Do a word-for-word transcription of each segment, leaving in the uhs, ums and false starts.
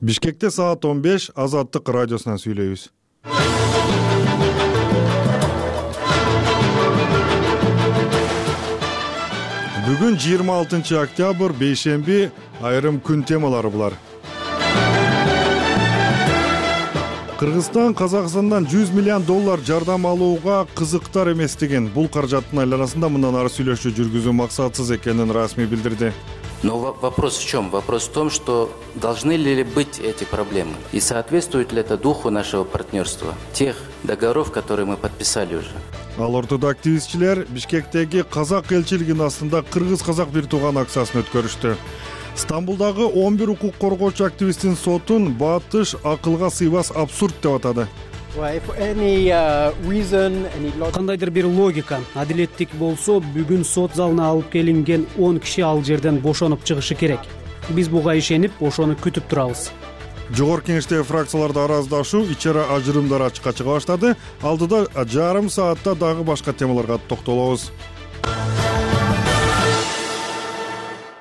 Бишкекте саат он беш Азаттык радиосунан сүйлөйбүз. Бүгүн жыйырма алтынчы октябрь, бейшемби, айрым күн темалары булар. Кыргызстан Казакстандан жүз миллион доллар жардам алууга кызыктар эместигин, бул каражаттын айланасында мындан ары сүйлөшүү жүргүзүү максатсыз экенин расмий билдирди. Но вопрос в чем? Вопрос в том, что должны ли быть эти проблемы и соответствует ли это духу нашего партнерства, тех договоров, которые мы подписали уже. Ал ортодо активистчилер Бишкектеги казак элчилигинин астында кыргыз-казак бир тууган акциясын өткөрүштү. Стамбулдагы он бир укук коргоочу активисттин сотун Батыш акылга сыйбас абсурд деп атады. Кандайдыр бир логика, адилеттик болсо, бүгүн сот залына алып келинген он киши ал жерден бошонуп чыгышы керек. Биз буга ишенип, ошону күтүп турабыз. Жогорку кеңештеги фракцияларда араздашуу, ичера ажырымдар ачыкка чыга баштады. Алдыда жарым саатта дагы башка темаларга токтолобуз.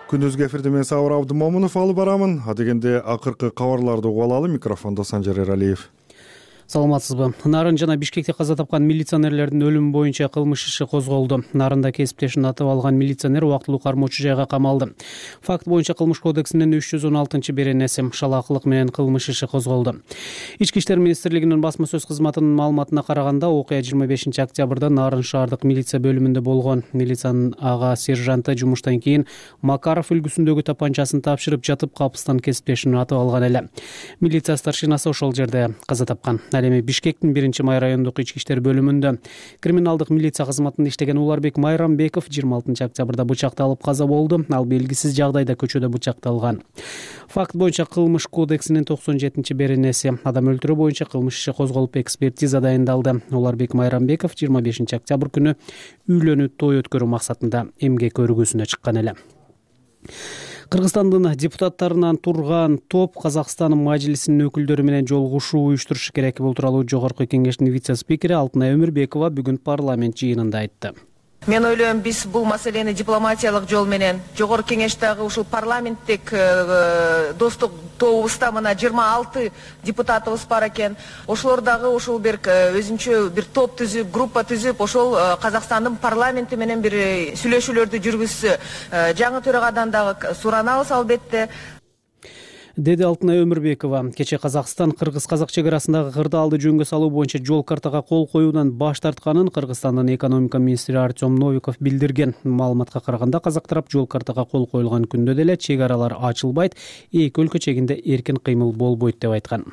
Күнүзгү эфирде мен Сабыр Абдымомунов алып барамын. Адегенде акыркы кабарларды угуп алалы. Микрофондо Санжар Эралиев. Саламатсызбы. Нарын жана Бишкекте каза тапкан милиционерлердин өлүмү боюнча кылмыш иши козголду. Нарында кесиптешин атып алган милиционер убактылуу кармоочу жайга камалды. Факт боюнча кылмыш кодексинин үч жүз он алтынчы беренеси шалаакылык менен кылмыш иши козголду. Ички иштер министрлигинин басма сөз кызматынын маалыматына караганда, окуя жыйырма бешинчи октябрда Нарын шаардык милиция бөлүмүндө болгон. Милициянын ага сержанты жумуштан кийин Макаров үлгүсүндөгү тапанчасын тапшырып жатып, капыстан кесиптешин атып алган эле. Милиция старшинасы ошол жерде каза тапкан. Ал эми Бишкектин биринчи май райондук ички иштер бөлүмүндө криминалдык милиция кызматында иштеген Уларбек Майрамбеков жыйырма алтынчы октябрда бычакталып каза болду. Ал белгисиз жагдайда көчөдө бычакталган. Факт боюнча кылмыш кодексинин токсон жетинчи беренеси адам өлтүрүү боюнча кылмыш иши козголуп, экспертиза дайындалды. Уларбек Майрамбеков жыйырма бешинчи октябрь күнү үйлөнүү той өткөрүү максатында эмгек өргүүсүнө чыккан эле. Кыргызстандын депутаттарынан турган топ Казакстан мажлисинин өкүлдөрү менен жолугушуу уюштурушу керек. Бул тууралуу Жогорку кеңештин вице-спикери Алтынай Өмүрбекова бүгүн парламент жыйынында айтты. Мен ойлойм, биз бул маселени дипломатиялык жол менен жогорку кеңештеги ушул парламенттик достук тобубузда мына жыйырма алты депутатыбыз бар экен. Ошолор дагы ушул бир өзүнчө бир топ түзүп, группа түзүп, ошол Казакстандын парламенти менен бир сүйлөшүүлөрдү жүргүзсө, жаңы төрагадан дагы суранабыз албетте. Деди Алтынай Өмүрбекова. Кече Казакстан кыргыз-казак чек арасындагы кырдаалды жөнгө салуу боюнча жол картага кол коюудан баш тартканын Кыргызстандын экономика министри Артем Новиков билдирген. Маалыматка караганда, казак тарап жол картага кол коюлган күндө деле чек аралар ачылбайт, эки өлкө чегинде эркин кыймыл болбойт деп айткан.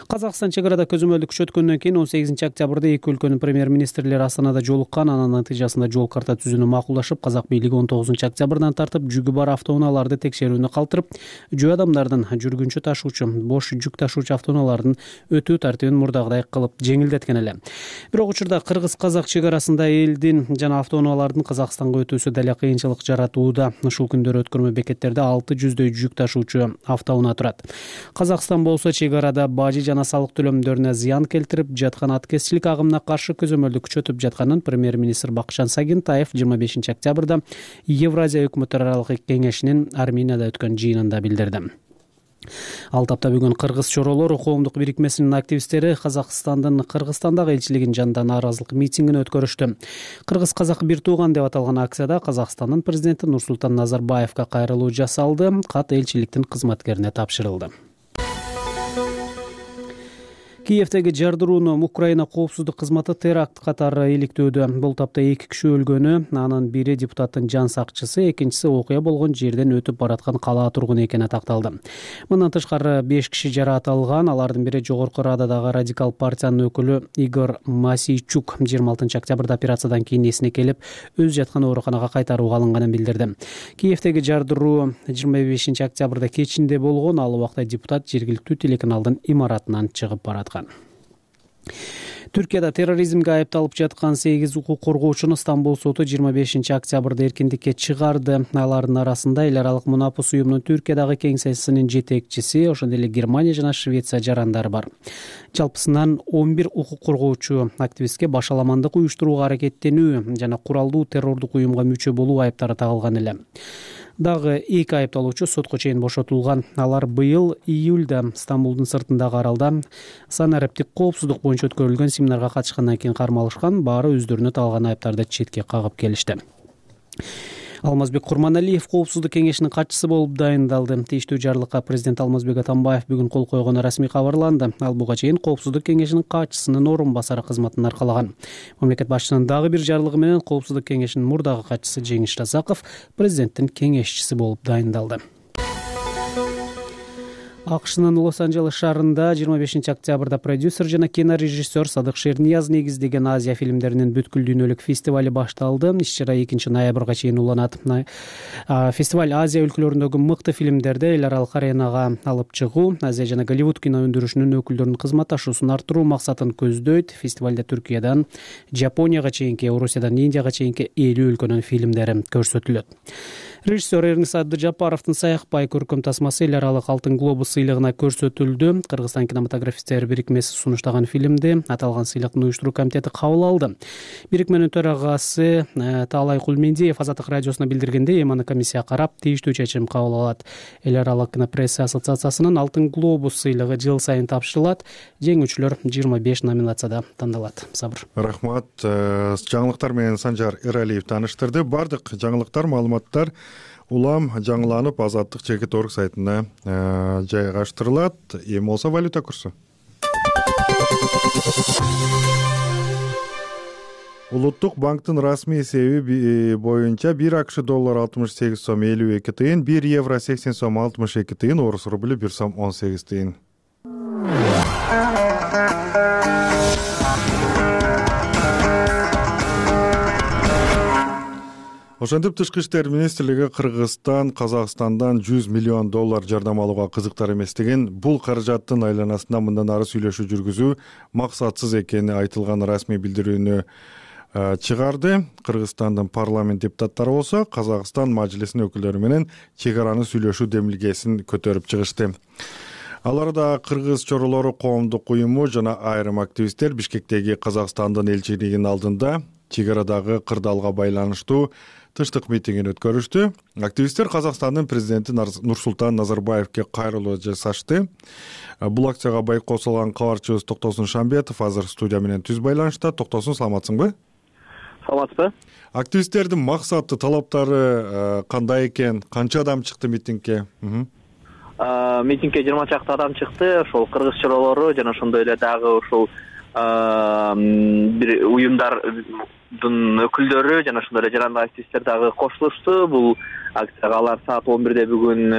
Казакстан чек арада көзөмөлдү күчөткөндөн кийин он сегизинчи октябрда эки өлкөнүн премьер-министрлери Астанада жолуккан. Анын натыйжасында жол карта түзүүнү макулдашып, казак бийлиги он тогузунчу октябрдан тартып жүгү бар автоунааларды текшерүүнү калтырып, жөө адамдардын жүргүнчү ташуучу, бош жүк ташуучу автоунаалардын өтүү тартибин мурдагыдай кылып жеңилдеткен эле. Бирок учурда кыргыз-казак чек арасында элдин жана автоунаалардын Казакстанга өтүүсү деле кыйынчылык жаратууда. Ушул күндөрү өткөрмө бекеттерде алты жүздөй жүк ташуучу автоунаа турат. Казакстан болсо чек арада бажы жана салык төлөмдөрүнө зыян келтирип жаткан аткезчилик агымына каршы көзөмөлдү күчөтүп жатканын премьер-министр Бакытжан Сагынтаев жыйырма бешинчи октябрда Евразия өкмөттөр аралык кеңешинин Арменияда өткөн жыйынында билдирди. Ал тапта бүгүн Кыргыз чоролор коомдук бирикмесинин активисттери Казакстандын Кыргызстандагы элчилигинин жанында нааразылык митингин өткөрүштү. Кыргыз-казак бир тууган деп аталган акцияда Казакстандын президенти Нурсултан Назарбаевка кайрылуу жасалды. Кат элчиликтин кызматкерине тапшырылды. Киевдеги жардырууну Украина коопсуздук кызматы теракт катары иликтөөдө. Бул тапта эки киши өлгөнү, анын бири депутаттын жан сакчысы, экинчиси окуя болгон жерден өтүп бараткан калаа тургуну экени такталды. Мындан тышкары беш киши жараат алган. Алардын бири Жогорку Рададагы радикал партиянын өкүлү Игорь Масийчук. жыйырма алтынчы октябрда операциядан кийин эсине келип, өз жаткан ооруканага кайтарууга алынганын билдирди. Киевдеги жардыруу жыйырма бешинчи октябрда кечинде болгон. Ал убакта депутат жергиликтүү телеканалдын имаратынан чыгып бараткан. Түркияда терроризмге айыпталып жаткан сегиз укук коргоочуну Стамбул соту жыйырма бешинчи октябрда эркиндикке чыгарды. Алардын арасында эл аралык мунапус уюмунун Түркиядагы кеңсесинин жетекчиси, ошондой эле Германия жана Швеция жарандары бар. Жалпысынан он бир укук коргоочу активистке башаламандык уюштурууга аракеттенүү жана куралдуу террордук уюмга мүчө болуу айыптары тагылган эле. Дагы эки айыпталуучу сотко чейин бошотулган. Алар быйыл июлда Стамбулдун сыртындагы аралда санариптик коопсуздук боюнча өткөрүлгөн семинарга катышкандан кийин кармалышкан. Баары өздөрүнө тагылган айыптарды четке кагып келишти. Алмазбек Курманалиев коопсуздук кеңешинин катчысы болуп дайындалды. Тийиштүү жарлыкка президент Алмазбек Атамбаев бүгүн кол койгону расмий кабарланды. Ал буга чейин коопсуздук кеңешинин катчысынын орун басары кызматын аркалаган. Мамлекет башчысынын дагы бир жарлыгы менен коопсуздук кеңешинин мурдагы катчысы Жеңиш Разаков президенттин кеңешчиси болуп дайындалды. АКШнын Лос-Анджелес шаарында жыйырма бешинчи октябрда продюсер жана кинорежиссер Садык Шернияз негиздеген Азия фильмдеринин бүткүл дүйнөлүк фестивали башталды. Иш-чара экинчи ноябрга чейин уланат. Фестиваль Азия өлкөлөрүндөгү мыкты фильмдерди эл аралык аренага алып чыгуу, Азия жана Голливуд кино өндүрүшүнүн өкүлдөрүнүн кызматташуусун арттыруу максатын көздөйт. Фестивалда Түркиядан Жапонияга чейинки, Орусиядан Индияга чейинки элүү өлкөнүн фильмдери көрсөтүлөт. Режиссер Эрнис Абдыжапаровдун Саякбай көркөм тасмасы эл аралык Алтын глобус сыйлыгына көрсөтүлдү. Кыргызстан кинематографисттер бирикмеси сунуштаган фильмди аталган сыйлыктын уюштуруу комитети кабыл алды. Бирикменин төрагасы Таалай Кулмендиев Азаттык радиосуна билдиргендей, эми аны комиссия карап тийиштүү чечим кабыл алат. Эл аралык кинопресса ассоциациясынын Алтын глобус сыйлыгы жыл сайын тапшырылат. Жеңүүчүлөр жыйырма беш номинацияда тандалат. Сабыр. Рахмат. Жаңылыктар менен Санжар Эралиев тааныштырды. Бардык жаңылыктар, маалыматтар улам жаңыланып Азаттык чекит орг сайтына жайгаштырылат. Эми болсо валюта курсу. Улуттук банктын расмий эсеби боюнча бир АКШ доллар алтымыш сегиз сом элүү эки тыйын, бир евро сексен сом алтымыш эки тыйын, орус рубль бир сом он сегиз тыйын. Ошентип Тышкы иштер министрлиги Кыргызстан Казакстандан жүз миллион доллар жардам алууга кызыктар эместигин, бул каражаттын айланасында мындан ары сүйлөшүү жүргүзүү максатсыз экени айтылган расмий билдирүүнү чыгарды. Кыргызстандын парламент депутаттары болсо Казакстан мажлисинин өкүлдөрү менен чек араны сүйлөшүү демилгесин көтөрүп чыгышты. Аларда кыргыз чоролору коомдук уюму жана айрым активисттер Бишкектеги Казакстандын элчилигинин алдында чек арадагы кырдаалга байланыштуу тыштык митингин өткөрүштү. Активисттер Казакстандын президенти Нурсултан Назарбаевке кайрылуу жасашты. Бул акцияга байкоо салган кабарчыбыз Токтосун Шамбетов азыр студия менен түз байланышта. Токтосун, саламатсыңбы? Саламатсызбы? Активисттердин максаты, талаптары кандай экен? Канча адам чыкты митингге? Митингге жыйырма чакты адам чыкты. Ошол кыргыз чоролору жана ошондой эле дагы ушул бир уюмдардын өкүлдөрү жана ошондой эле жарандык активисттер дагы кошулушту. Бул акцияга алар саат он бирде бүгүн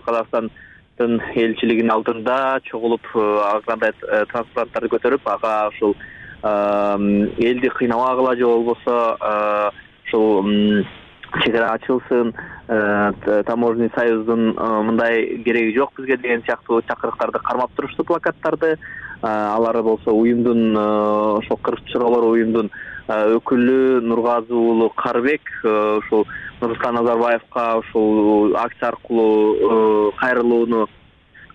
Казакстандын элчилигинин алдында чогулуп, андай транспаранттарды көтөрүп, ага ушул элди кыйнабагыла же болбосо ушул чек ара ачылсын, таможенный союздун мындай кереги жок бизге деген сыяктуу чакырыктарды кармап турушту, плакаттарды. Алар болсо уюмдун, ошол кыргыз чоролор уюмдун өкүлү Нургазы уулу Карбек ушул Нурсултан Назарбаевка ушул акция аркылуу кайрылууну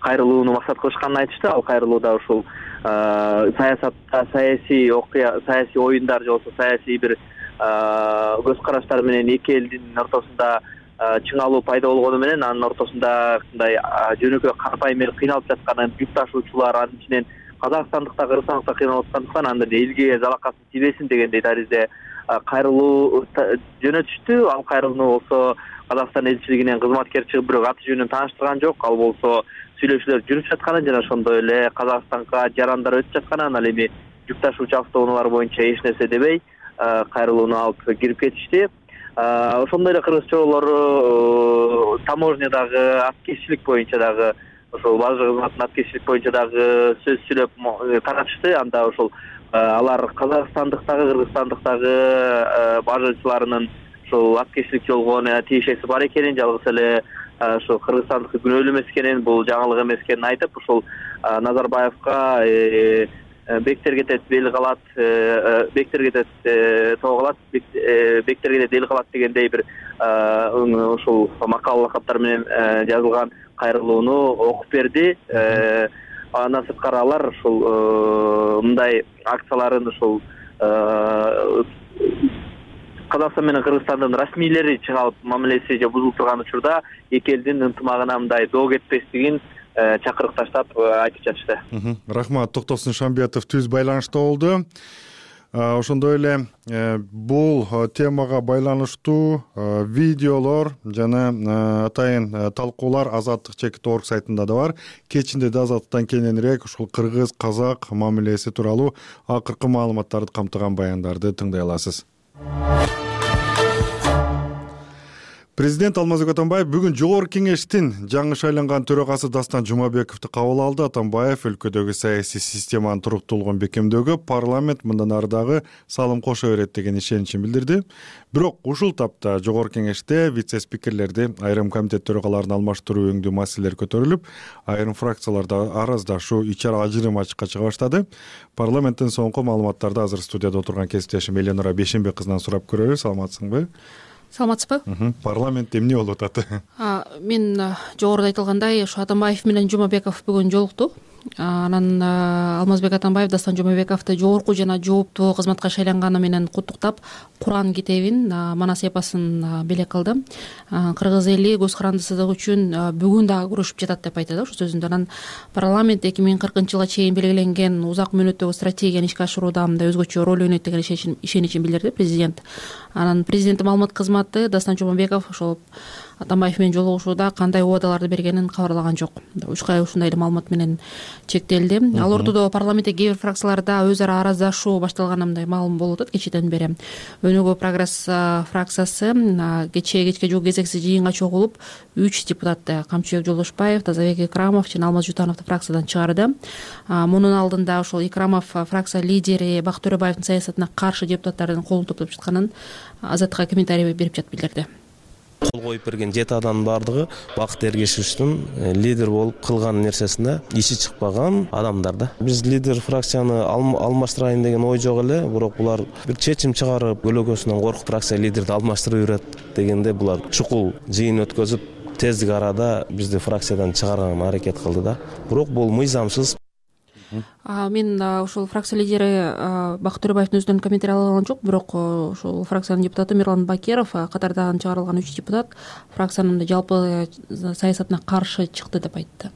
кайрылууну максат кылышканын айтышты. Ал кайрылууда ушул саясатта саясий окуя, саясий оюндар же болбосо саясий бир көз караштар менен эки элдин ортосунда чыңалуу пайда болгону менен анын ортосунда мындай жөнөкөй карапайым эл кыйналып жатканын, жүк ташуучулар, анын ичинен казакстандыкта, кыргызстандыкта кыйналып аткандыктан анда элге залакасын тийбесин дегендей таризде кайрылуу жөнөтүштү. Ал кайрылууну болсо Казакстан элчилигинен кызматкер чыгып, бирок аты жөнүн тааныштырган жок. Ал болсо сүйлөшүүлөр жүрүп жатканын жана ошондой эле Казакстанга жарандар өтүп жатканын, ал эми жүк ташуучу автоунаалар боюнча эч нерсе дебей кайрылууну алып кирип кетишти. Ошондой эле кыргыз чоролору таможнядагы аткезчилик боюнча дагы, ошол бажы кызматынын аткезчилик боюнча дагы сөз сүйлөп таратышты. Анда ошол алар казакстандыктагы, кыргызстандыктагы бажычыларынын ошол аткезчилик жолго тиешеси бар экенин, жалгыз эле ошол кыргызстандыкы күнөөлүү эмес экенин, бул жаңылык эмес экенин айтып, ошол Назарбаевка бектер кетет, бел калат, бектер кетет, тоо калат, бектер кетет, эл калат дегендей бир ошол макал лакаптар менен жазылган кайрылууну окуп берди. Андан сырткары алар ушул мындай акцияларын ушул Казакстан менен Кыргызстандын расмийлери чыга алып мамилеси же бузулуп турган учурда эки элдин ынтымагына мындай доо кетпестигин чакырык таштап айтып жатышты. Рахмат. Токтосун Шамбетов түз байланышта болду. Ошондой эле бул темага байланыштуу видеолор жана атайын талкуулар Азаттык чекит орг сайтында да бар. Кечинде да Азаттыктан кененирээк ушул кыргыз казак мамилеси тууралуу акыркы маалыматтарды камтыган баяндарды тыңдай аласыз. Президент Алмазбек Атамбаев бүгүн Жогорку Кеңештин жаңы шайланган төрагасы Дастан Жумабековду кабыл алды. Атамбаев өлкөдөгү саясий системанын туруктуулугун бекемдөөгө парламент мындан ары дагы салым кошо берет деген ишеничин билдирди. Бирок ушул тапта Жогорку Кеңеште вице-спикерлерди, айрым комитет төрагаларын алмаштыруу өңдүү маселелер көтөрүлүп, айрым фракцияларда араздашуу, ичара ажырым ачыкка чыга баштады. Парламенттин соңку маалыматтарды азыр студияда отурган кесиптешим Эленора Бейшенбек кызынан сурап көрөлү. Саламатсыңбы? Саламатсызбы? Парламент эмне болуп атат? Мен жогоруда айтылгандай, ушу Атамбаев менен Жумабеков бүгүн жолукту. Анан Алмазбек Атамбаев Дастан Жумабековду жогорку жана жооптуу кызматка шайланганы менен куттуктап, Куран китебин, манас эпосун белек кылды. Кыргыз эли көз карандысыздык үчүн бүгүн дагы күрөшүп жатат деп айтты ушу сөзүндө. Анан парламент эки миң кыркынчы жылга чейин белгиленген узак мөөнөттөгү стратегияны ишке ашырууда мындай өзгөчө роль ойнойт деген ишеничин билдирди президент. Анан президенттин маалымат кызматы Дастан Жумабеков ошол Атамбаев менен жолугушууда кандай убадаларды бергенин кабарлаган жок. Учкай ушундай эле маалымат менен чектелди. Ал ортодо парламентте кээ бир фракцияларда өз ара араздашуу башталганы мындай маалым болуп атат кечээден бери. Өнүгүү прогресс фракциясы кечээ кечке жук кезексиз жыйынга чогулуп, үч депутатты Камчыбек Жолдошбаев, Тазабек Икрамов жана Алмаз Жутановду фракциядан чыгарды. Мунун алдында ошол Икрамов фракция лидери Бакыт Төрөбаевдин саясатына каршы депутаттардын колун топтоп жатканын Азаттыкка комментарий берип жатып билдирди. Кол коюп берген жети адамдын баардыгы Бакыт Эргешевичтин лидер болуп кылган нерсесинде иши чыкпаган адамдар да. Биз лидер фракцияны алмаштырайын деген ой жок эле, бирок булар бир чечим чыгарып, өлөгөсүнөн коркуп фракция лидерди алмаштырып жүрөт дегенде булар чукул жыйын өткөзүп, тездик арада бизди фракциядан чыгарганга аракет кылды да. Бирок бул мыйзамсыз. Мен ошол фракция лидери Бакыт Төрөбаевдин өзүнөн комментарий ала алган жок, бирок ошол фракциянын депутаты Мирлан Бакеров катардан чыгарылган үч депутат фракциянын жалпы саясатына каршы чыкты деп айтты.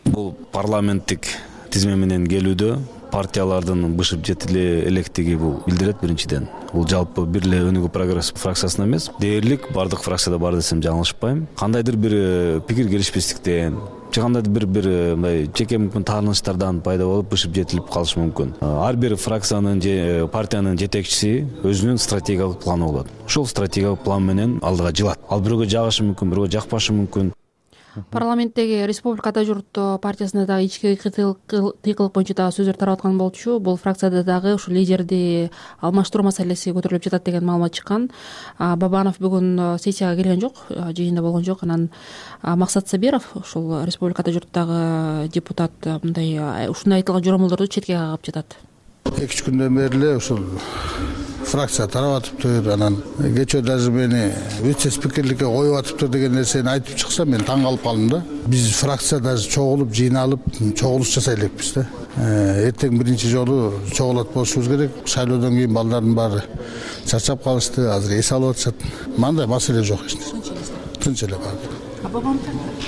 Бул парламенттик тизме менен келүүдө партиялардын бышып жетиле электиги бул билдирет биринчиден. Бул жалпы бир эле Өнүгүү прогресс фракциясына эмес, дээрлик бардык фракцияда бар десем жаңылышпайм. Кандайдыр бир пикир келишпестиктен же кандайдыр бир бир мындай жеке мүмкүн тааныштардан пайда болуп бышып жетилип калышы мүмкүн. Ар бир фракциянын же партиянын жетекчиси өзүнүн стратегиялык планы болот. Ошол стратегиялык план менен алдыга жылат. Ал бирөөгө жагышы мүмкүн, бирөөгө жакпашы мүмкүн. Парламенттеги Республика Ата журт партиясында дагы ички тыйкылык боюнча дагы сөздөр тарап аткан болчу. Бул фракцияда дагы ушу лидерди алмаштыруу маселеси көтөрүлүп жатат деген маалымат чыккан. Бабанов бүгүн сессияга келген жок, жыйында болгон жок. Анан Максат Сабиров, ушул Республика Ата журттагы депутат, мындай ушундай айтылган жоромолдорду четке кагып жатат. эки үч күндөн бери эле ушул фракция тарап атыптыр, анан кечээ даже мени вице-спикерликке коюп атыптыр деген нерсени айтып чыкса мен таң калып калдым да. Биз фракция даже чогулуп, жыйналып, чогулуш жасай элекпиз да. Эртең биринчи жолу чогулат болушубуз керек. Шайлоодон кийин балдардын баары чарчап калышты, азыр эс алып атышат. Мындай маселе жок эч нерсе. Тынч эле баары.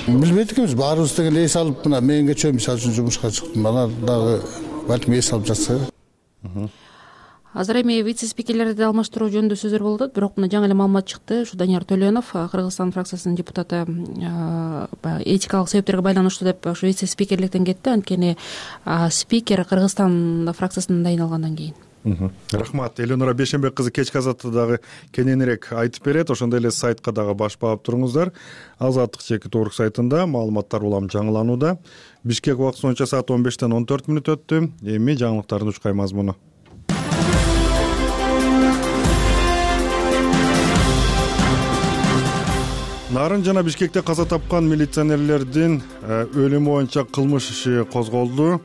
Билбейт экенбиз, баарыбыз деген эс алып, мына мен кечээ мисалы үчүн жумушка чыктым. Алар дагы балким эс алып жатса. Азыр эми вице-спикерлерди алмаштыруу жөнүндө сөздөр болуп атат, бирок мына жаңы эле маалымат чыкты. Ушу Данияр Төлөнов, Кыргызстан фракциясынын депутаты, этикалык себептерге байланыштуу деп ушу вице-спикерликтен кетти. Анткени спикер Кыргызстан фракциясынан дайыналгандан кийин. Рахмат. Эленора Бейшенбек кызы кечки Азаттыкты дагы кененирээк айтып берет. Ошондой эле сайтка дагы баш баап туруңуздар. Азаттык чекит орг сайтында маалыматтар улам жаңыланууда. Бишкек убакыты боюнча саат он бештен он төрт мүнөт өттү. Эми жаңылыктардын учкай мазмуну. Нарын жана Бишкекте каза тапкан милиционерлердин өлүмү боюнча кылмыш иши козголду.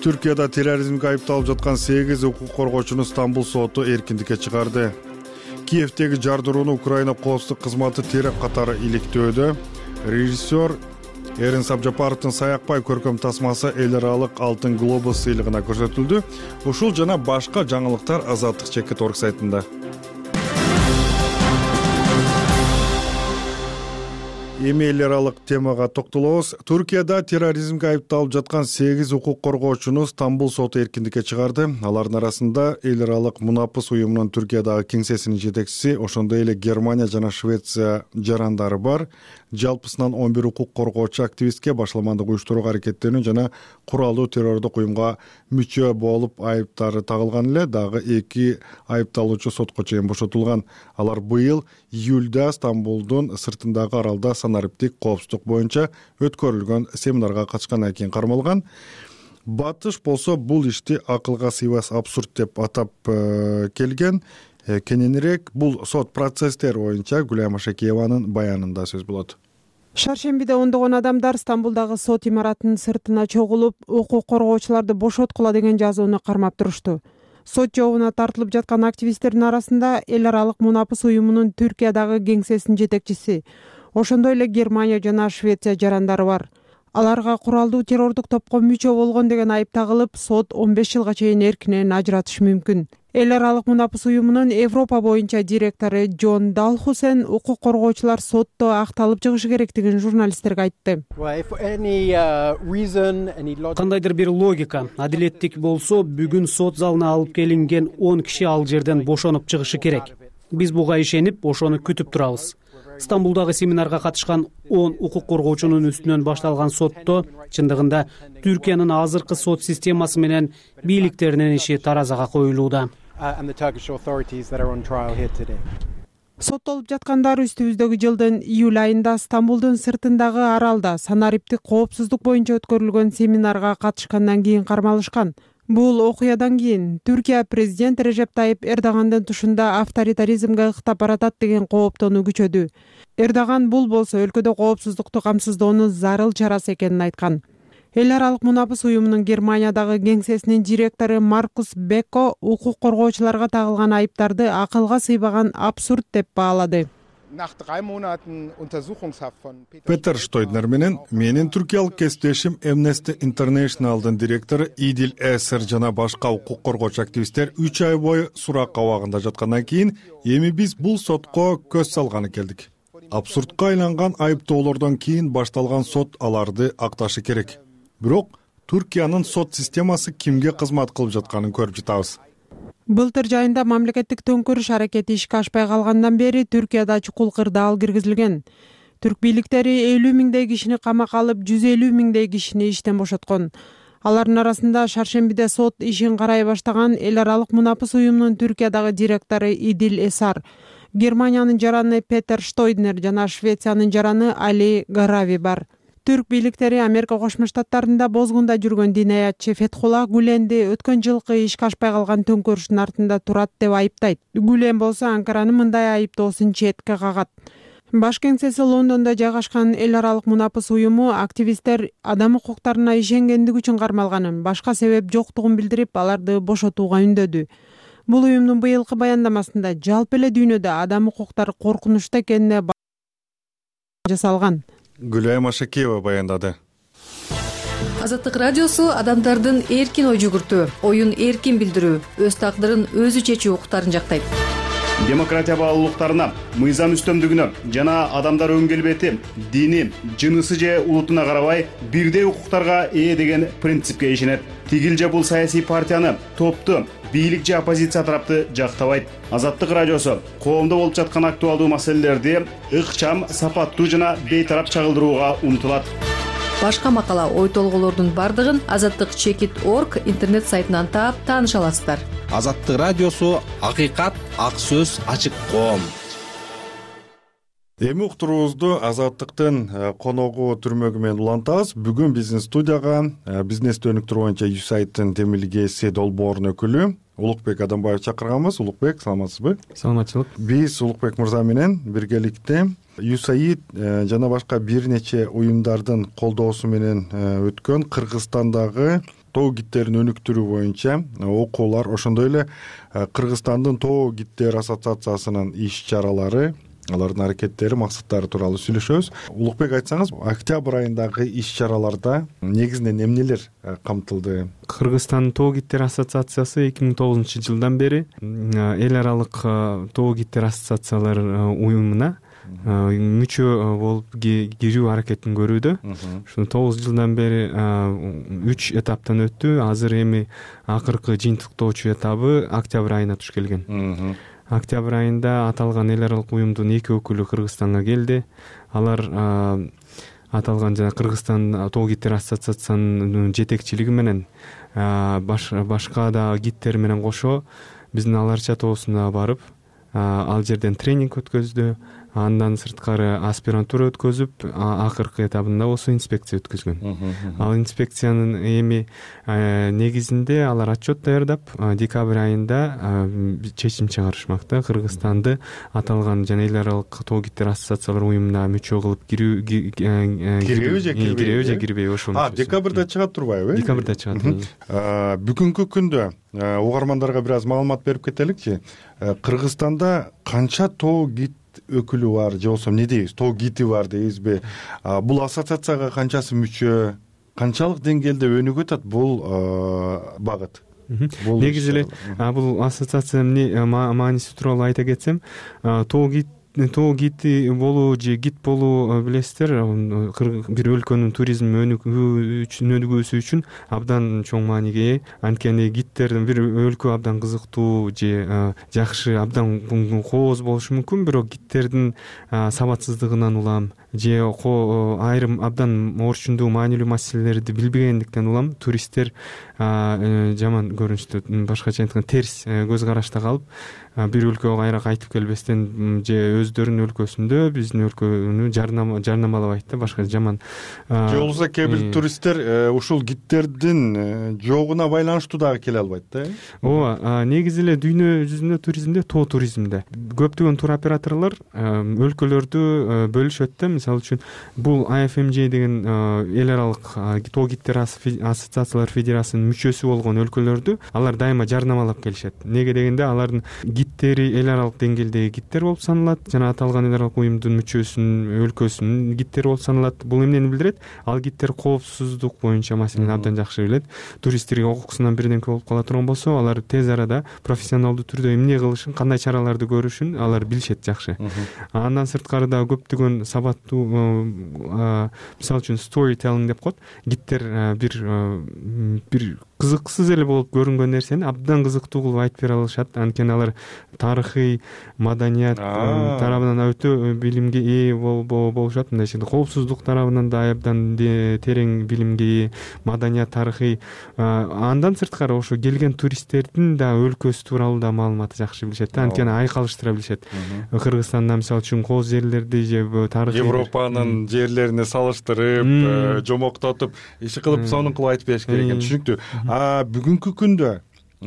Түркияда терроризмге айыпталып жаткан сегиз укук коргоочуну Стамбул соту эркиндикке чыгарды. Киевдеги жардырууну Украина коопсуздук кызматы теракт катары иликтөөдө. Режиссер Эрин Сабжапаровдун Саякбай көркөм тасмасы эл аралык алтын глобус сыйлыгына көрсөтүлдү. Ушул жана башка жаңылыктар Азаттык чекит орг сайтында. эми эл аралык темага токтолобуз. Туркияда терроризмге айыпталып жаткан сегиз укук коргоочуну Стамбул соту эркиндикке чыгарды. Алардын арасында эл аралык мунапыс уюмунун Түркиядагы кеңсесинин жетекчиси, ошондой эле Германия жана Швеция жарандары бар. Жалпысынан он бир укук коргоочу активистке башаламандык уюштурууга аракеттенүү жана куралдуу террордук уюмга мүчө болуп айыптары тагылган эле. Дагы эки айыпталуучу сотко чейин бошотулган. Алар быйыл июлда Стамбулдун сыртындагы аралда санариптик коопсуздук боюнча өткөрүлгөн семинарга катышкандан кийин кармалган. Батыш болсо бул ишти акылга сыйбас абсурд деп атап э, келген. Э, кененирээк бул сот процесстери боюнча Гүлайым Ашакееванын баянында сөз болот. Шаршембиде ондогон адамдар Стамбулдагы сот имаратынын сыртына чогулуп, укук коргоочуларды бошоткула деген жазууну кармап турушту. Сот жообуна тартылып жаткан активисттердин арасында эл аралык мунапыс уюмунун Түркиядагы кеңсесинин жетекчиси, ошондой эле Германия жана Швеция жарандары бар. Аларга куралдуу террордук топко мүчө болгон деген айып тагылып, сот он беш жылга чейин эркинен ажыратышы мүмкүн. Эл аралык мунапыс уюмунун Европа боюнча директору Джон Далхусен укук коргоочулар сотто акталып чыгышы керектигин журналисттерге айтты. Кандайдыр бир логика, адилеттик болсо, бүгүн сот залына алып келинген он киши ал жерден бошонуп чыгышы керек. Биз буга ишенип, ошону күтүп турабыз. Стамбулдагы семинарга катышкан он укук коргоочунун үстүнөн башталган сотто чындыгында Түркиянын азыркы сот системасы менен бийликтеринин иши таразага коюлууда. Соттолуп жаткандар үстүбүздөгү жылдын июль айында Стамбулдун сыртындагы аралда санариптик коопсуздук боюнча өткөрүлгөн семинарга катышкандан кийин кармалышкан. Бул окуядан кийин Түркия президент Режеп Тайип Эрдогандын тушунда авторитаризмге ыктап баратат деген кооптонуу күчөдү. Эрдоган бул болсо өлкөдө коопсуздукту камсыздоонун зарыл чарасы экенин айткан. Эл аралык мунапыс уюмунун Германиядагы кеңсесинин директору Маркус Бекко укук коргоочуларга тагылган айыптарды акылга сыйбаган абсурд деп баалады. Петер Штойднер менен менин түркиялык кесиптешим Amnesty International'дын директору Идил Эсер жана башка укук коргоочу активисттер үч ай бою сурак абагында жаткандан кийин эми биз бул сотко көз салганы келдик. Абсурдка айланган айыптоолордон кийин башталган сот аларды акташы керек. Бирок Түркиянын сот системасы кимге кызмат кылып жатканын көрүп жатабыз. Былтыр жайында мамлекеттик төңкөрүш аракети ишке ашпай калгандан бери Түркияда чукул кырдаал киргизилген. Түрк бийликтери элүү миңдей кишини камакка алып, жүз элүү миңдей кишини иштен бошоткон. Алардын арасында Шаршембиде сот ишин карай баштаган эл аралык мунапыс уюмунун Түркиядагы директору Идил Эсар, Германиянын жараны Петер Штойднер жана Швециянын жараны Али Гарави бар. Түрк бийликтери Америка Кошмо Штаттарында бозгунда жүргөн динаятчы Фетхулла Гүленди өткөн жылкы ишке ашпай калган төңкөрүштүн артында турат деп айыптайт. Гүлен болсо Анкаранын мындай айыптоосун четке кагат. Баш кеңсеси Лондондо жайгашкан эл аралык мунапыс уюму активисттер адам укуктарына ишенгендиги үчүн кармалганын, башка себеп жоктугун билдирип, аларды бошотууга үндөдү. Бул уюмдун быйылкы баяндамасында жалпы эле дүйнөдө адам укуктары коркунучта экенине жасалган. Гүлайым Ашакеева баяндады. Азаттык радиосу адамдардын эркин ой жүгүртүү, оюн эркин билдирүү, өз тагдырын өзү чечүү укуктарын жактайт. Демократия баалуулуктарына, мыйзам үстөмдүгүнө жана адамдар өң келбети, дини, жынысы же улутуна карабай бирдей укуктарга ээ деген принципке ишенет. Тигил же бул саясий партияны, топту, бийлик же оппозиция тарапты жактабайт. Азаттык радиосу коомдо болуп жаткан актуалдуу маселелерди ыкчам, сапаттуу жана бейтарап чагылдырууга умтулат. Башка макала, ой толголордун бардыгын азаттык чекит точка орг интернет сайтынан таап тааныша аласыздар. Азаттык радиосу акыйкат, ак сөз, ачык коом. Эми уктуруубузду Азаттыктын коногу түрмөгү менен улантабыз. Бүгүн биздин студияга бизнести өнүктүрүү боюнча ю эс эй айдын темилгеси долбоорунун өкүлү Улукбек Адамбаев чакырганбыз. Улукбек, саламатсызбы? Саламатчылык. Биз Улукбек мырза менен биргеликте ю эс эй жана башка бир нече уюмдардын колдоосу менен өткөн Кыргызстандагы тоо гидтерин өнүктүрүү боюнча окуулар, ошондой эле Кыргызстандын тоо гиддер ассоциациясынын иш-чаралары, алардын аракеттери, максаттары тууралуу сүйлөшөбүз. Улукбек, айтсаңыз, октябрь айындагы иш-чараларда негизинен эмнелер камтылды? Кыргызстан тоо гиддер ассоциациясы эки миң тогузунчу жылдан бери эл аралык тоо гиддер ассоциациялар уюмуна мүчө болуп кирүү аракетин көрүүдө. Ушул тогуз жылдан бери үч этаптан өттү. Азыр эми акыркы жыйынтыктоочу этабы октябрь айына туш келген. Октябрь айында аталган эл аралык уюмдун эки өкүлү Кыргызстанга келди. Алар аталган жана Кыргызстан тоо гидтер ассоциациясынын жетекчилиги менен башка да гидтер менен кошо биздин Аларча тоосуна барып, ал жерден тренинг өткөздү. Андан сырткары аспирантура өткөзүп, акыркы этабында болсо инспекция өткөзгөн. Ал инспекциянын эми негизинде алар отчет даярдап, декабрь айында чечим чыгарышмакта. Кыргызстанды аталган жана эл аралык тоо гидтер ассоциациялар уюмуна мүчө кылып кирүү кирбейби же кирбейби же кирбейби ошол. А, декабрда чыгат турбайбы? Декабрда чыгат. Бүгүнкү күндө угармандарга бир аз маалымат берип кетеликчи. Кыргызстанда канча тоо гид өкүлү бар же болбосо эмне дейбиз, тоо гити бар дейбизби? Бул ассоциацияга канчасы мүчө, канчалык деңгээлде өнүгүп атат бул багыт? Негизи эле бул ассоциациянын мааниси тууралуу айта кетсем, тоо гид тоо гити болуу же гид болуу билесиздер, бир өлкөнүн туризм өнүгүүсү үчүн абдан чоң мааниге ээ. Анткени гидтердин бир өлкө абдан кызыктуу же жакшы, абдан кооз болушу мүмкүн, бирок гидтердин сабатсыздыгынан улам же айрым абдан орчундуу маанилүү маселелерди билбегендиктен улам туристтер жаман көрүнүштө, башкача айтканда терс көз карашта калып, бир өлкөгө кайра кайтып келбестен же өздөрүнүн өлкөсүндө биздин өлкөнү жарнамалабайт да, башка жаман. Же болбосо кээ бир туристтер ушул гидтердин жогуна байланыштуу дагы келе албайт да. Ооба, негизи эле дүйнө жүзүндө туризмде, тоо туризмде көптөгөн туроператорлор өлкөлөрдү бөлүшөт да. Мисалы үчүн бул ай эф эм джей деген эл аралык тоо гидтер ассоциациялар федерациясынын мүчөсү болгон өлкөлөрдү алар дайыма жарнамалап келишет. Неге дегенде алардын гидтери эл аралык деңгээлдеги гидтер болуп саналат, жана аталган эл аралык уюмдун мүчөсүнүн өлкөсүнүн гидтери болуп саналат. Бул эмнени билдирет? Ал гидтер коопсуздук боюнча маселени абдан жакшы билет. Туристтерге окуусунан бирдемке болуп кала турган болсо, алар тез арада профессионалдуу түрдө эмне кылышын, кандай чараларды көрүшүн алар билишет жакшы. Андан сырткары да көптөгөн сабаттуу, мисалы үчүн storytelling деп коет. Гидтер бир бир кызыксыз эле болуп көрүнгөн нерсени абдан кызыктуу кылып айтып бере алышат. Анткени алар тарыхый, маданият тарабынан өтө билимге ээ болушат. Мындай шекилде коопсуздук тарабынан да абдан терең билимге ээ, маданият, тарыхый. Андан сырткары ошо келген туристтердин да өлкөсү тууралуу да маалыматты жакшы билишет. Анткени айкалыштыра билишет. Кыргызстанда мисалы үчүн кооз жерлерди же тарыхый Европанын жерлерине салыштырып, жомоктотуп, иши кылып, сонун кылып айтып бериш керек экен. Түшүнүктүү. А бүгүнкү күндө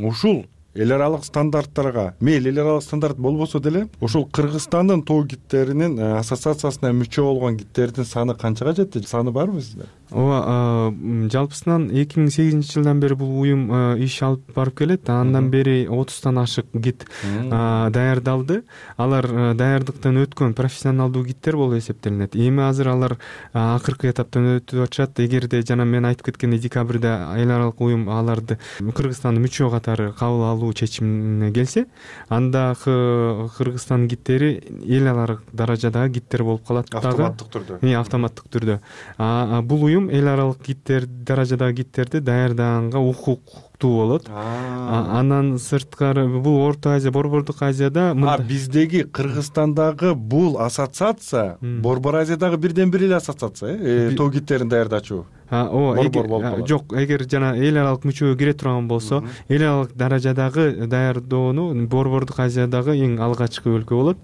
ушул эл аралык стандарттарга мейли эл аралык стандарт болбосо деле ушул Кыргызстандын тоо гидтеринин ассоциациясына мүчө болгон гидтердин саны канчага жетти? Саны барбы сизде? Ооба, жалпысынан эки миң сегизинчи жылдан бери бул уюм иш алып барып келет. Андан бери отуздан ашык гид даярдалды. Алар даярдыктан өткөн профессионалдуу гидтер болуп эсептелинет. Эми азыр алар акыркы этаптан өтүп атышат. Эгерде жана мен айтып кеткендей декабрда эл аралык уюм аларды Кыргызстандын мүчө катары кабыл алуу чечимине келсе, анда Кыргызстан гидтери эл аралык даражадагы гидтер болуп калат. Автоматтык түрдө. Э, автоматтык түрдө. А бул уюм эл аралык гидтер даражадагы гидтерди даярдаганга укуктуу болот. Андан сырткары бул Орто Азия, Борбордук Азияда А биздеги Кыргызстандагы бул ассоциация Борбор Азиядагы бирден бир эле ассоциация, э, тоо гидтерин даярдачу. Ооба, жок, эгер жана эл аралык мүчөгө кире турган болсо, эл аралык даражадагы даярдоону Борбордук Азиядагы эң алгачкы өлкө болот.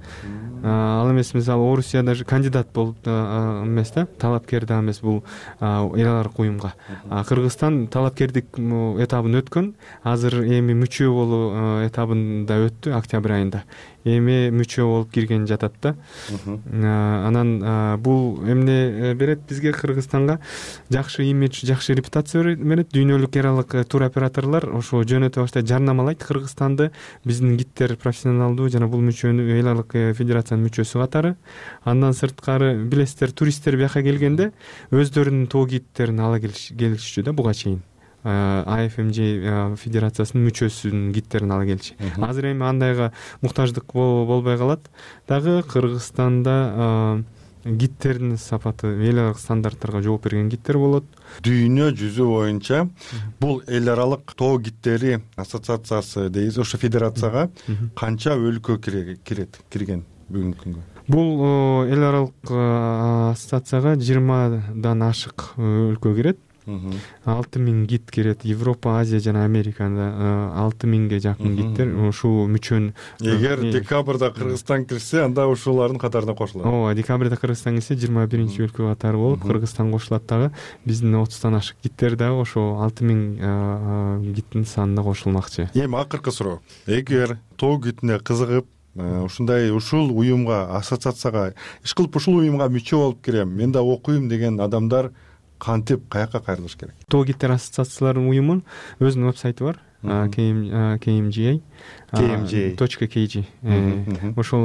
Ал эмес, мисалы Орусияда кандидат болуп эмес да, талапкер да эмес бул эл аралык уюмга. Кыргызстан талапкердик этабын өткөн, азыр эми мүчө болуу этабында өттү октябрь айында. Эми мүчө болуп кирген жатат да. Анан бул эмне берет бизге, Кыргызстанга жакшы имидж, жакшы репутация берет. Дүйнөлүк аралык туроператорлор ошо жөнөтө баштайт, жарнамалайт Кыргызстанды биздин гидтер профессионалдуу жана бул мүчөнү эл аралык федерациянын мүчөсү катары. Андан сырткары билесиздер, туристтер бияка келгенде өздөрүнүн тоо гидтерин ала келишчү да буга чейин. ай эф эм джей федерациясынын мүчөсүнүн гидтерин ала келчү. Азыр эми андайга муктаждык болбой калат. Дагы Кыргызстанда гидтердин сапаты эл аралык стандарттарга жооп берген гидтер болот. Дүйнө жүзү боюнча бул эл аралык тоо гидтери ассоциациясы дейбиз, ошо федерацияга канча өлкө кирет, кирген бүгүнкү күнгө? Бул эл аралык ассоциацияга жыйырмадан ашык өлкө кирет. алты миң гид кирет. Европа, Азия жана Америкада алты миңге жакын гидтер ушул мүчөнү. Эгер декабрда Кыргызстан кирсе, анда ушулардын катарына кошулат. Ооба, декабрда Кыргызстан кирсе жыйырма биринчи өлкө катары болуп, Кыргызстан кошулат дагы. Биздин отуздан ашык гидтер дагы ошо алты миң гидтин санына кошулмакчы. Эми акыркы суроо. Эгер тоо гидине кызыгып, ушундай ушул уюмга, ассоциацияга иш кылып ушул уюмга мүчө болуп кирем, мен да окуйм деген адамдар кантип каяка кайрылыш керек? Тоо гидтер ассоциацияларынын уюмунун өзүнүн вебсайты бар. кей эм джи эй точка кей джи. Ошол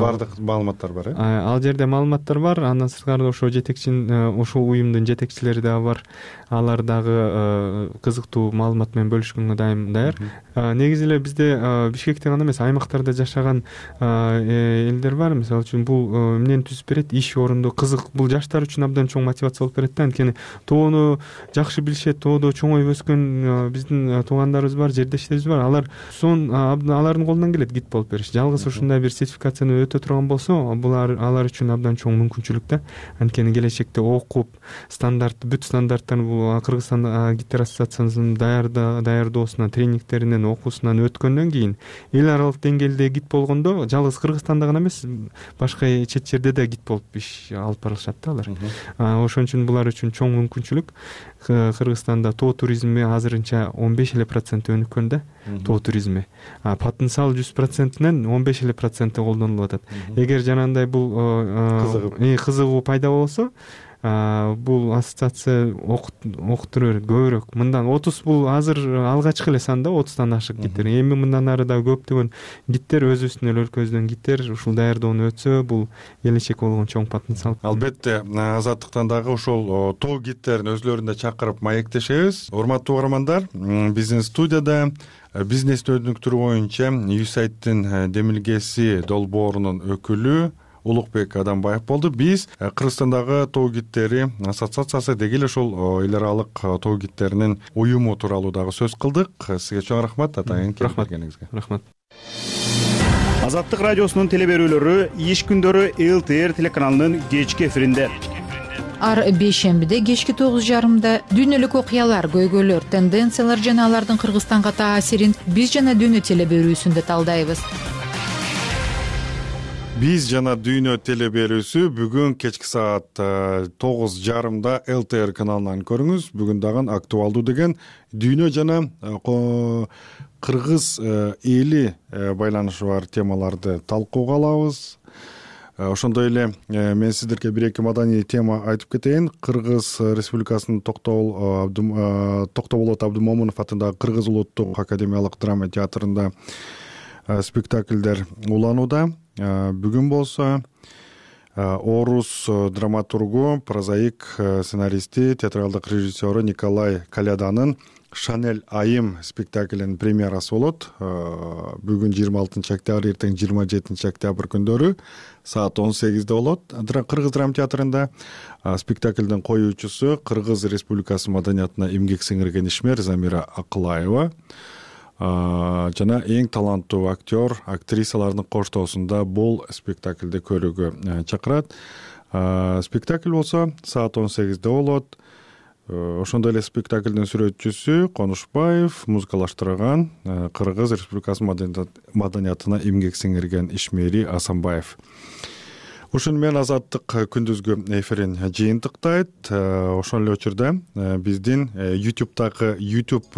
бардык маалыматтар бар, э? Ал жерде маалыматтар бар. Андан сырткары ошо жетекчинин, ошол уюмдун жетекчилери дагы бар. Алар дагы кызыктуу маалымат менен бөлүшкөнгө дайым даяр. Негизи эле бизде Бишкекте гана эмес, аймактарда жашаган элдер бар. Мисалы үчүн бул эмнени түзүп берет? Иш орунду кызык. Бул жаштар үчүн абдан чоң мотивация болуп берет да. Анткени тоону жакшы билишет, тоодо чоңоюп өскөн биздин туугандарыбыз бар, жердештерибиз бар. Алар сон алардын колунан келет гид болуп бериш. Жалгыз ушундай бир сертификацияны өтө турган болсо, булар алар үчүн абдан чоң мүмкүнчүлүк да. Анткени келечекте окуп, стандарт, бүт стандарттарын бул Кыргызстан гидтер ассоциациясынын даярдоосунан, тренингтеринен, окуусунан өткөндөн кийин эл аралык деңгээлде гид болгондо, жалгыз Кыргызстанда гана эмес, башка чет жерде да гид болуп иш алып барышат да алар. Ошон үчүн булар үчүн чоң мүмкүнчүлүк. Кыргызстанда тоо туризми азырынча он беш эле процент өнүккөн да, тоо туризми. Потенциал жүз процентинен он беш эле проценти колдонулуп атат. Эгер жанагындай бул кызыгуу пайда болсо, бул ассоциация окуттурur көбүрөөк. Мындан отуз бул азыр алгачкы эле сан да, отуздан ашык гидтер. Эми мындан ары да көптөгөн гидтер, өзүбүздүн эле өлкөбүздөн гидтер ушул даярдоону өтсө, бул келечек болгон чоң потенциал. Албетте, Азаттыктан дагы ошол тоо гидтерин өзлөрүн да чакырып маектешебиз. Урматтуу угармандар, биздин студияда бизнести өнүктүрүү боюнча юсайттын демилгеси долбоорунун өкүлү Улукбек Адамбаев болду. Биз Кыргызстандагы тоо гидтери ассоциациясы деги эле ошол эл аралык тоо гидтеринин уюму тууралуу дагы сөз кылдык. Сизге чоң рахмат атайын келгениңизге. Рахмат. Азаттык радиосунун теле берүүлөрү иш күндөрү эл ти эр телеканалынын кечки эфиринде. Ар бейшембиде кечки тогуз жарымда дүйнөлүк окуялар, көйгөйлөр, тенденциялар жана алардын Кыргызстанга таасирин биз жана дүйнө теле берүүсүндө талдайбыз. Биз жана дүйнө теле берүүсү бүгүн кечки саат тогуз жарымда эл ти эр каналынан көрүңүз. Бүгүн дагы актуалдуу деген дүйнө жана кыргыз эли байланышы бар темаларды талкууга алабыз. Ошондой эле мен сиздерге бир-эки маданий тема айтып кетейин. Кыргыз Республикасынын Токтоболот Абдымомунов атындагы Кыргыз улуттук академиялык драма театрында спектакльдер уланууда. Бүгүн болсо орус драматургу, прозаик, сценаристи, театралдык режиссеру Николай Каляданын Шанель айым спектаклинин премьерасы болот. Бүгүн жыйырма алтынчы октябрь, эртең жыйырма жетинчи октябрь күндөрү саат он сегизде болот. Кыргыз драма театрында спектаклдин коюучусу Кыргыз Республикасы маданиятына эмгек сиңирген ишмер Замира Акылаева жана эң таланттуу актер, актрисалардын коштоосунда бул спектаклди көрүүгө чакырат. Спектакль болсо саат он сегизде болот. Ошондой эле спектаклдин сүрөтчүсү Конушбаев, музыкалаштырган Кыргыз Республикасы маданиятына эмгек сиңирген ишмери Асанбаев. Ушуну менен Азаттык күндүзгү эфирин жыйынтыктайт. Ошол эле учурда биздин YouTube'дагы YouTube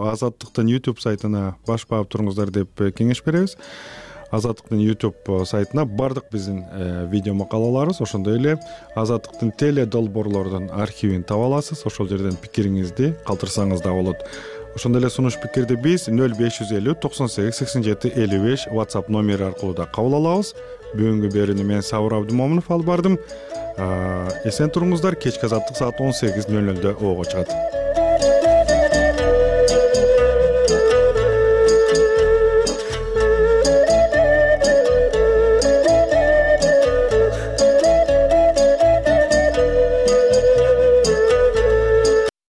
Азаттыктын YouTube сайтына баш баап туруңуздар деп кеңеш беребиз. Азаттыктын YouTube сайтына бардык биздин видео макалаларыбыз, ошондой эле Азаттыктын теле долбоорлордун архивин таба аласыз. Ошол жерден пикириңизди калтырсаңыз да болот. Ошондой эле сунуш пикирди биз нөл беш жүз элүү токсон сегиз сексен жети элүү беш WhatsApp номери аркылуу да кабыл алабыз. Бүгүнкү берүүнү мен Сабыр Абдымомунов алып бардым. Эсен туруңуздар. Кечки Азаттык саат он сегиз нөл нөлдө ого чыгат.